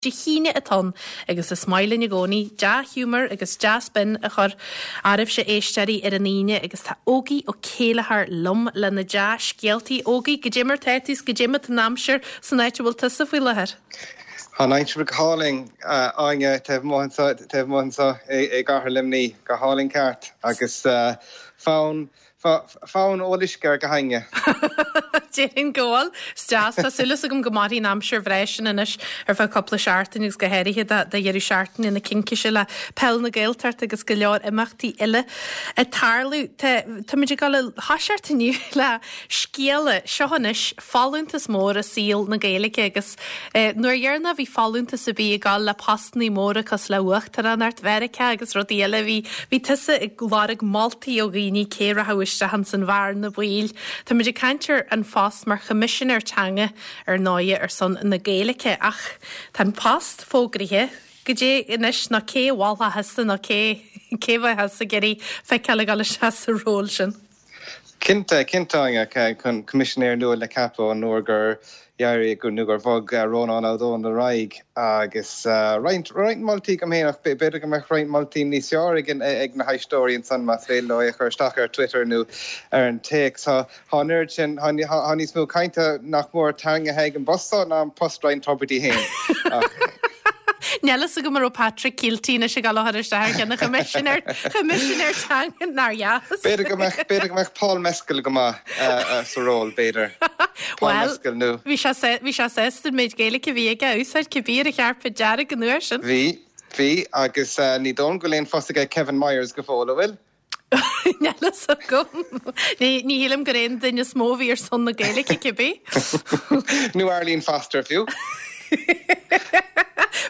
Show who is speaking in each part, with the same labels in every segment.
Speaker 1: Dé hAoine atá ann agus is maith linn i gcónaí dea-ghiúmar agus dea-spin a chur oraibhse éisteoirí ar an Aoine agus tá Ógie Ó Céilleachair liom lena dea-scéaltaí. Ógie, goidé mar tá tú 's goidé mar tá an aimsir san áit a bhfuil tusa faoi láthair?
Speaker 2: Tá an aimsir go hálainn, Áine, taobh amuigh anseo, taobh amuigh anseo i gcathair Luimnigh, go hálainn ceart agus fonn Fonn ól uisce ar gach éinne.
Speaker 1: Déarfainn go bhfuil. Is deas. Tá súil agam go mairfidh an aimsir bhreá sin anois ar feadh cúpla seachtain agus go háirithe do dheireadh seachtaine na Cincíse le Peil na Gaeltachta agus go leor imeachtaí eile ag tarlú. Táimid ag dul a thoiseacht inniu le scéala. Seo anois folúntas mór i saol na Gaeilge agus nuair dheireanach a bhí folúntas ar bith ag dul le postannaí móra cosúil le Uachtaránacht Mheiriceá agus rudaí eile, bhí bhí tusa ag lorg moltaí ó dhaoine cé rachadh isteach ins an bhearna bhaoil. Táimid ag caint ar an phost mar Choimisinéir Teanga ar ndóighe ar son na Gaeilge ach tá an post fógraithe, goidé anois nó cé a mholfá thusa nó cé cé a bheadh thusa ag iarraidh feiceáil ag dul isteach sa ról sin?
Speaker 2: Cinnte, cinnte, Áine, Coimisinéir nua le ceapadh ón uair gur d'éirigh nó gur bhog Rónán Ó Domhnaill ar aghaidh agus roinnt, roinnt moltaí agam féin ach b'fhéidir go mbeadh roinnt moltaí níos fearr ag ag na héisteoirí ansan más féidir leo é a chur isteach ar Twitter nó ar an téacs. Tá an oiread sin, tá níos mó cainte nach mór tarraingthe ag an bpost seo ná an post Ryan Tubridy féin.
Speaker 1: Níl fhios agam an raibh Patrick Kielty anois ag dul a chur isteach ar cheann an Choimisinéir, Choimisinéir Teanga, nár dheas.
Speaker 2: B'fhéidir go mbeadh, b'fhéidir go mbeadh Paul Mescal go maith sa ról, b'fhéidir.
Speaker 1: Paul Bhuel, Mescal nó. bhí sé, bhí sé sásta an méid Gaeilge a bhí aige a úsáid cibé ar an chairpéad dearg an uair sin.
Speaker 2: Bhí, bhí, agus ní dóigh liom go bhfuil aon phost aige Kevin Myers go fóill, an bhfuil?
Speaker 1: Níl fhios agam. Ní shílim gur é an duine is mó a bhí ar son na Gaeilge, cibé.
Speaker 2: Nó Arlene Foster fiú.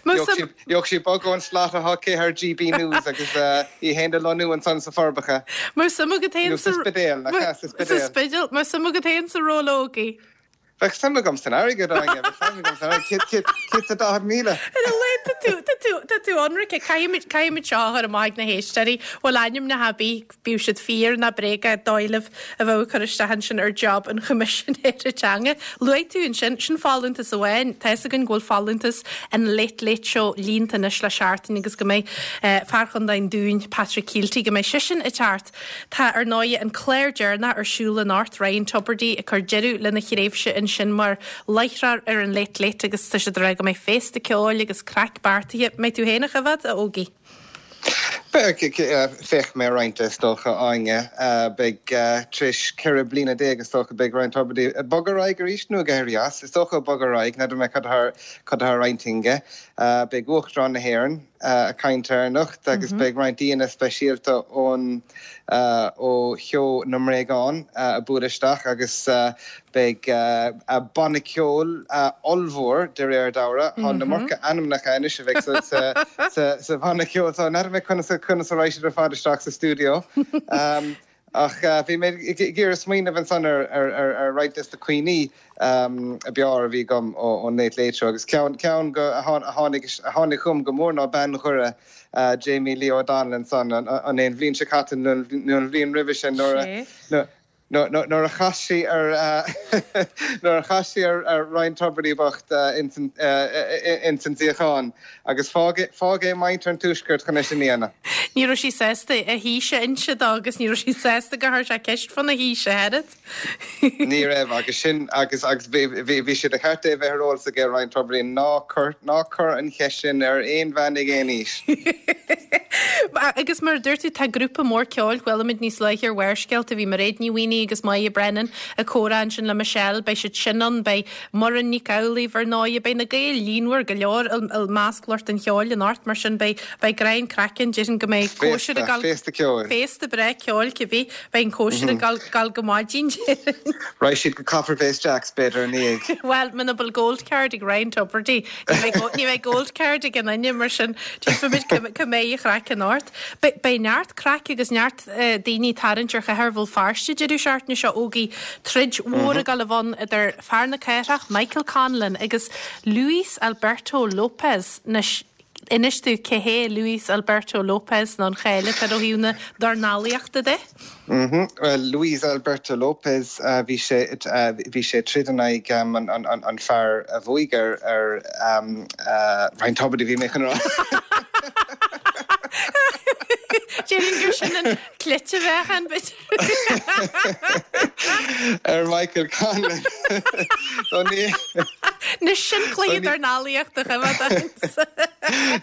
Speaker 2: Gheobhadh sí bogadh ón slot atá aici ar GB News agus í féin a lonnú ansan sa Forbacha.
Speaker 1: Mbeadh suim agat féin
Speaker 2: sa. Nó sa Spidéal, nach ea? Sa
Speaker 1: Spidéal. Sa Spidéal. Mbeadh suim agat féin sa ról, a Ógie?
Speaker 2: Bheadh suim agam san airgead, Áine, bheadh suim agam san airgead. 140,000.
Speaker 1: Ar a laghad, tá tú, tá tú, tá tú ionraic. Caithfimid, caithfimid seo a chur amach ag na héisteoirí. Bhfuil ainmneacha ar bith, bíodh siad fíor ná bréagach, dóigh libh a bheadh ag cur isteach ansin ar job an Choimisinéara Teanga. Luaigh tú ansin, sin folúntas amháin. Tá fhios againn go bhfuil folúntas an Late Late Show líonta anois le seachtain agus go mbeidh fear Chontae an Dúin, Patrick Kielty, go mbeidh seisean ag teacht. Tá, ar ndóighe, an clár deireanach ar siúl anocht, Ryan Tubridy ag cur deireadh lena thréimhse ansin mar láithreoir ar an Late Late agus tá siad ag rá go mbeidh féasta ceoil agus craic beartaithe. Mbeidh tú féin á choimhéad, a Ógie?
Speaker 2: Beidh, féachfaidh mé ar roinnt de, is dócha, Áine. Beidh, tar éis 14 bliana is dócha, beidh Ryan Tubridy ag bogadh ar aghaidh arís nó ag éirí as? Is dócha ag bogadh ar aghaidh, n'fheadar mé cad atá ar intinn aige. Beidh Uachtarán na hÉireann, ag caint air anocht agus beidh roinnt aíonna speisialta ón ó sheó na mBréagán ag bualadh isteach agus beidh banna ceoil ollmhór de réir dealraimh. Tá an iomarca ainmneacha anois a bheidh sa bhanna ceoil so n'fheadar mé conas conas a raghaidh siad ar fad isteach sa stiúideo. Ach bhí mé ag iarraidh smaoineamh ansan ar roinnt des na cuimhní ab fhearr a bhí agam ón Late Late Show agus ceann ceann a tháinig a tháinig chugam go mór ná bean Dhoire Jamie Lee O'Donnell ansan an an bhliain seo caite nó an bhliain roimhe sin nuair a nuair a chas sí ar nuair a chas sí ar Ryan Tubridy bocht ins an suíochán. Agus fág fág é muintir an Tuaiscirt chun é sin a dhéanamh.
Speaker 1: Ní raibh sí sásta a haois a inse dó agus ní raibh sí sásta gur chuir sé ceist fána haois ach oiread.
Speaker 2: Ní raibh agus sin agus agus bhí bhí bhí sé de cheart é bheith ar eolas aige Ryan Tubridy ná cuir ná cuir an cheist sin ar aon bhean ag aon aois.
Speaker 1: Agus mar a dúirt tú tá grúpa mór ceoil, chuala muid níos luaithe ar Bharrscéalta, bhí Mairéad Ní Mhaonaigh agus Moya Brennan ag comhrá ansin le Michelle, beidh siad sin ann, beidh Muireann Nic Amhlaoibh, ar ndóighe, beidh na Gaeil líonmhar go leor i measc lucht an cheoil anocht, mar sin beidh beidh greim craicinn, déarfainn go mbeidh cóisir ag
Speaker 2: dul, Féasta ceoil.
Speaker 1: Féasta breá ceoil, cibé, beidh an cóisir ag dul dul go maidin, déarfainn.
Speaker 2: Raghaidh siad go Copper Face Jacks, b'fhéidir, ina dhiaidh.
Speaker 1: Bhuel, muna bhfuil gold card ag Ryan Tubridy, ní bheidh ní bheidh gold card ag aon duine, mar sin tchífimid cá cá mbeidh an chraic anocht. Beidh beidh neart craic agus neart daoine ag tarraingt ar chathair Bhéal Feirste deireadh seachtaine seo Ógie, troid mhór ag dul a bheith ann idir fear na cathrach, Michael Conlan, agus Luis Alberto Lopez. Anois. Inis domh cé hé Luis Alberto Lopez nó an cháil atá air ó thaobh na dornálaíochta de.
Speaker 2: Bhuel, Luis Alberto Lopez, bhí sé, bhí sé ag troid in aghaidh an fear a bhuaigh ar, ar Ryan Tubridy a bhí mé chun a rá.
Speaker 1: Déarfainn gur sin an cleite a bheadh ann, b'fhéidir.
Speaker 2: Ar Michael Conlan.
Speaker 1: Anois sin cluiche dornálaíochta a choimeád ann.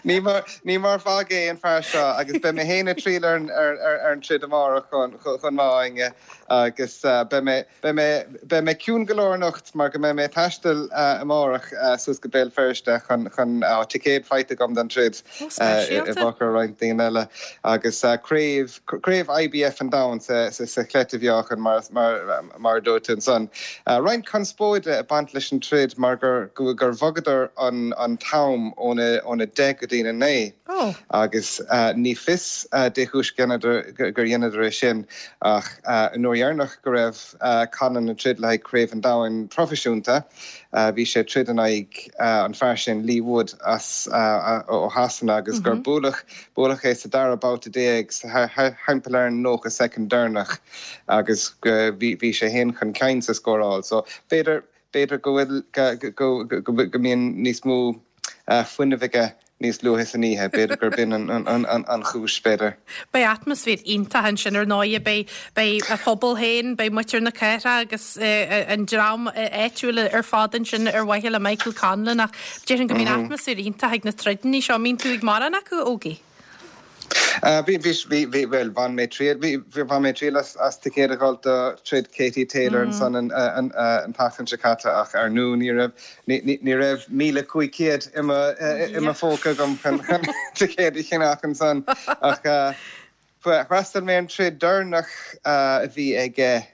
Speaker 2: Ní mar, ní mar mhagadh é an fear seo agus beidh mé féin ag triall ar an, ar, ar, ar an troid amárach chomh, chomh maith Áine agus beidh mé, beidh mé, beidh mé ciúin go leor anocht mar go mbeidh mé ag taisteal amárach suas go Béal Feirste chun, chun, tá ticéad faighte agam don troid i bhfochair roinnt daoine eile agus craobh, Craobh IBF an Domhain sa chleite-mheáchan, mar a dúirt tú ansan. Roinnt conspóide ag baint leis an troid mar gur bhogadar an t-am óna 10 go dtína 9 agus ní fios dé chúis gur dheineadar é sin ach an uair dheireanach go raibh Conlan ag troid le haghaidh Craobh an Domhain proifisiúnta bhí sé ag troid in aghaidh an fear sin Leigh Wood as ó Shasana agus gur buaileadh Buaileadh é sa dara babhta thimpeall ar an 90 soicind deireanach agus bhí sé féin chun cinn sa scóráil. So b'fhéidir, b'fhéidir go bhfuil, go, go, go mbíonn níos mó fuinnimh aige níos luaithe san oíche. B'fhéidir gurb in an chúis, b'fhéidir.
Speaker 1: Beidh atmaisféar iontach ansin ar ndóighe. Beidh, beidh a phobal féin, beidh muintir na cathrach agus an dream áitiúil ar fad ansin ar mhaithe le Michael Conlan ach Déarfainn go mbíonn atmaisféar iontach ag na troideanna seo. An mbíonn tú ag mórán acu, a Ógie?
Speaker 2: Bhí, bhí, bhí, bhí, bhuel, bhain mé triail, bhí, bhain mé triail as, as ticéad a fháil do troid Katie Taylor ansan an, an, an tseachtain seo caite ach ar ndú ní raibh, ní, ní, ní raibh 1,500 i mo, i mo phóca agam chun, chun ticéad a cheannach ansan ach, D'fhreastail mé ar an troid deireanach a bhí aige,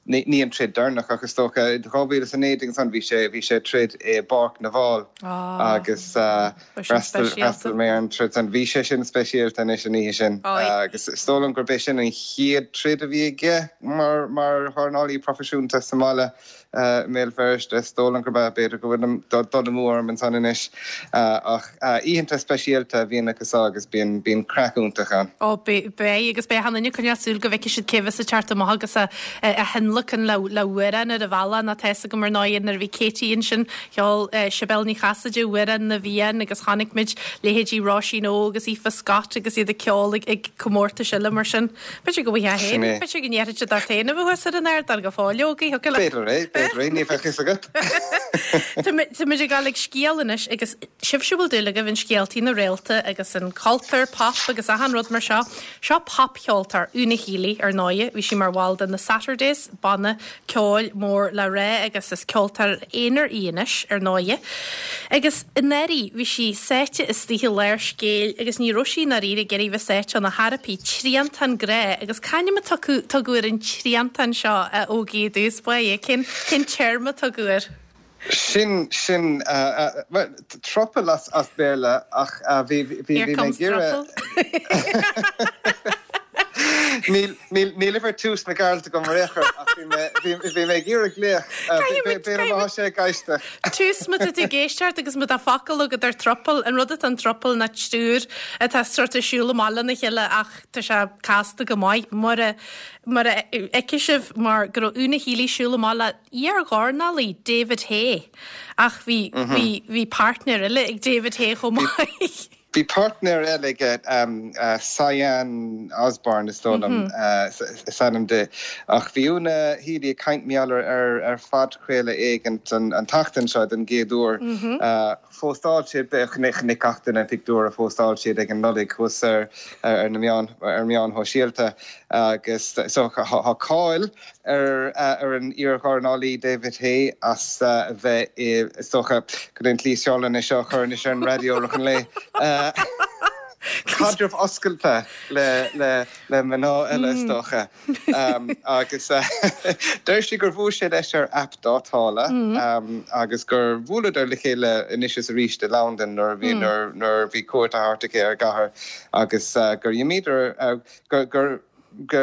Speaker 2: ní an troid deireanach ach is dócha, 2019 ansan bhí sé, bhí sé ag troid i bPáirc na bhFál agus d'fhreastail mé ar an troid san. Bhí sé sin speisialta anois an oíche sin agus is dóigh liom gurb é sin an chéad troid a bhí aige mar, mar dhornálaí proifisiúnta sa mbaile. i mBéal Feirste. Is dóigh liom gurb ea, b'fhéidir go bhfuilim ag dul amú orm ansan anois. Ach oícheanta speisialta a bhíonn acu so agus bíonn, bíonn craic iontach ann.
Speaker 1: Ó, beidh, agus beidh achan duine ag coinneáil súil go bhfeicfidh siad cé bheas ag teacht amach agus á thionlacan le hamhrán ar an bhealach nó tá fhios agam ar ndóigh nuair a bhí Katie ansin, cheol Sibéal Ní Chasaide Amhrán na bhFiann agus chonaic muid leithéidí Róisín Óg agus Aoife Scott agus iad ag ceol ag comórtais eile mar sin. B'fhéidir go bhfaighfeá
Speaker 2: féin,
Speaker 1: b'fhéidir go ndéarfadh siad ort féin a bheith thuas ar an ardán go fóill, Ógie,
Speaker 2: thiocfadh leat. B'fhéidir é, b'fhéidir é, ní bheadh fhios agat.
Speaker 1: Tá muid ag dul ag scéal anois agus sibhse a bhfuil dúil agaibh in scéaltaí na réalta agus an cultúr pop agus achan rud mar seo, seo popcheoltóir, Una Healy, ar ndóighe, bhí sí mar bhall de na Saturdays, banna ceoil mór le rá agus is ceoltóir aonair í anois, ar ndóighe. Agus anuraidh bhí sí sáite istigh i lár scéil agus ní raibh sí i ndáiríre ag iarraidh bheith sáite ann ar chor ar bith, triantán grá agus c'ainm a tugadh tugadh ar an triantán seo, a Ógie i dtús báire? Cén cén téarma a tugadh air?
Speaker 2: Sin, sin, bhuel, throuple as as Béarla ach bhí, bhí, bhí
Speaker 1: mé ag iarraidh.
Speaker 2: Níl, níl, níl uimhir tús na gCearlt agam ar aon chor ach bhí mé, bhí, bhí mé ag iarraidh glaoch, b'fhéidir má tá sé ag éisteacht.
Speaker 1: Tús, má tá tú ag éisteacht agus má tá focal agat ar throuple, an rud atá in throuple ná triúr atá sort of siúl amach lena chéile ach tá sé casta go maith mura, mura fheicfidh sibh mar go raibh Una Healy ag siúl amach le iar-dhornálaí David Haye ach bhí, bhí, bhí páirtnéir eile ag David Haye chomh maith.
Speaker 2: Bhí páirtnéir eile aige, Sian Osborne is dóigh liom is ainm di. Ach bhí Una Healy ag caint mar gheall air ar phodchraoladh éigint an tseachtain seo den gcéad uair. Phóstáil siad, chonaic gach duine an pictiúr a phóstáil siad ag an Nollaig thuas ar na meáin, ar meáin shóisialta agus so tá cáil ar ar an iar-dhornálaí David Haye as a bheith i, is dócha, cad é an tslí is fearr lena seo a chur anois ar an raidió i rith an lae, caidreamh oscailte le le le mná eile is dócha. Agus deir sí gur bhuail sé leis ar aip dátála agus gur bhuaileadar le chéile anois is arís i Londain nuair a bhí nuair a bhí cuairt á thabhairt aici ar an gcathair agus gur imíodar gur gur. go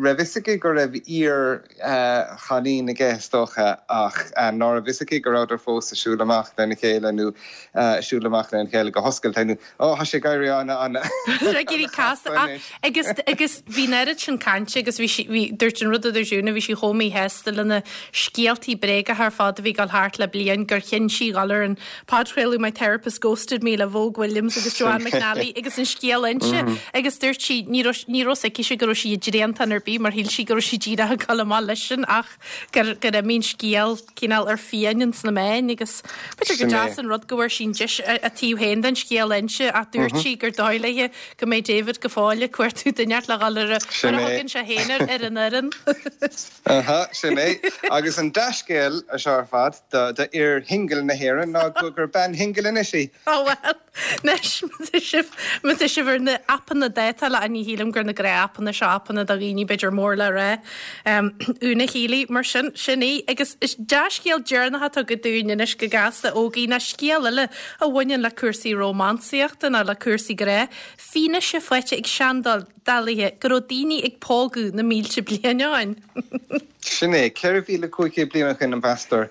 Speaker 2: raibh fhios aici go raibh iar-chailín aige is dócha ach ná raibh fhios aici go rabhadar fós ag siúl amach lena chéile nó ag siúl amach lena chéile go hoscailte nó ó tá sé ag éirí ana ana
Speaker 1: Ag éirí casta anois. Agus agus bhí an oiread sin cainte agus bhí sí bhí dúirt an rud a dúirt Úna bhí sí chomh míshásta le na scéaltaí bréagacha ar fad a bhí ag dul thart le bliain gur chinn sí dhul ar an podchraoladh My Therapist Ghosted Me le Vogue Williams agus Joanne McNally agus an scéal a inse agus dúirt sí ní raibh ní raibh fhios aici go raibh sí i dtriantán ar bith mar shíl sí go raibh sí díreach ag dul amach leis sin ach gur gur imigh an scéal cineál ar fiáin ins na meáin agus b'fhéidir gur deas an rud go bhfuair sí an deis a taobh féin den scéal a inse ach dúirt sí gur dóigh léi go mbeidh David go fóill ag cuartú duine le dhul ar a mar a thugann sé féin air ar an fhoireann.
Speaker 2: Aha, sin é. Agus an dea-scéal seo ar fad do fhir shingil na hÉireann ná gur bean shingil anois í.
Speaker 1: Ó bhuel, anois, má tá sibh, má tá sibh ar na aipeanna dátála, ní shílim gur na gnáth-aipeanna seo, aipeanna do dhaoine b'fhéidir mór le rá. Úna Healy, mar sin, sin í. Agus is dea-scéal deireanach atá agat dúinn anois go gasta, Ógie, ná scéal eile a bhaineann le cúrsaí rómánsaíochta nó le cúrsaí grá. Fianaise faighte ag seandálaithe go raibh daoine ag pógadh na mílte bliain ó shin.
Speaker 2: Sin é, 4,500 bliain ó shin, meastar,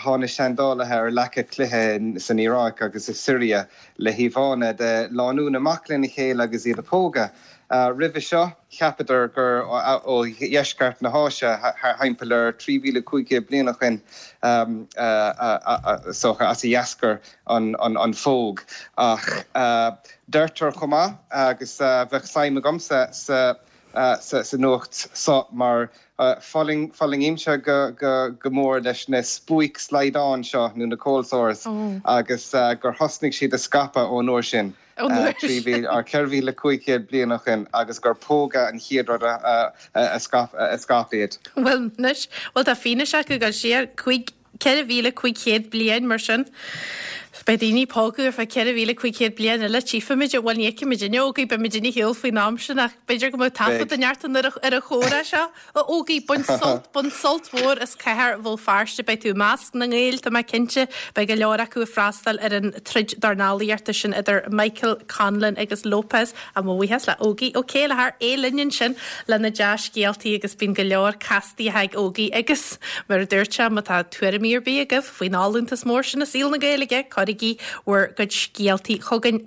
Speaker 2: tháinig seandálaithe ar leaca cloiche san Iaráic agus i Siria le híomhánna de lánúin amach lena chéile agus iad ag pógadh. Roimhe seo, cheapadar gur ó dheisceart na hÁise, thimpeall ar 3,500 bliain ó shin, is dócha, as a d'eascair an phóg. Ach deirtear chomh maith, agus bheadh suim agamsa sa nuacht so mar fulaingímse go mór leis na spuaic slaghdán seo, nó na cold sores, agus gur thosnaigh siad a scaipeadh ón uair sin, 4,500 bliain ó shin, agus gur pógadh an chéad rud a scaip iad.
Speaker 1: Bhuel anois, bhuel tá fianaise acu ag dul siar 4,500 bliain mar sin. Beidh daoine ag pógadh ar feadh 4,500 bliain eile, tchífimid, bhuel ní fheicfimid inniu, Ógie, beimid ar shiúl faoin am sin ach b'fhéidir go mbeadh taifead den neart ar an chomhrá seo. A Ógie, bain sult, bain sult mhór as cathair Bhéal Feirste, beidh tú i measc na nGael, tá mé cinnte, beidh go leor acu ag freastal ar an troid dornálaíochta sin idir Michael Conlan agus Lopez. Á mo bhuíochas le Ógie Ó Céilleachair, é linn ansin le na dea-scéaltaí agus bíonn go leor castaí ag Ógie agus mar a dúirt sé, má tá tuairimí ar bith agaibh faoin fholúntas mór sin i saol na Gaeilge, cuirigí bhur gcuid scéaltaí chugainn.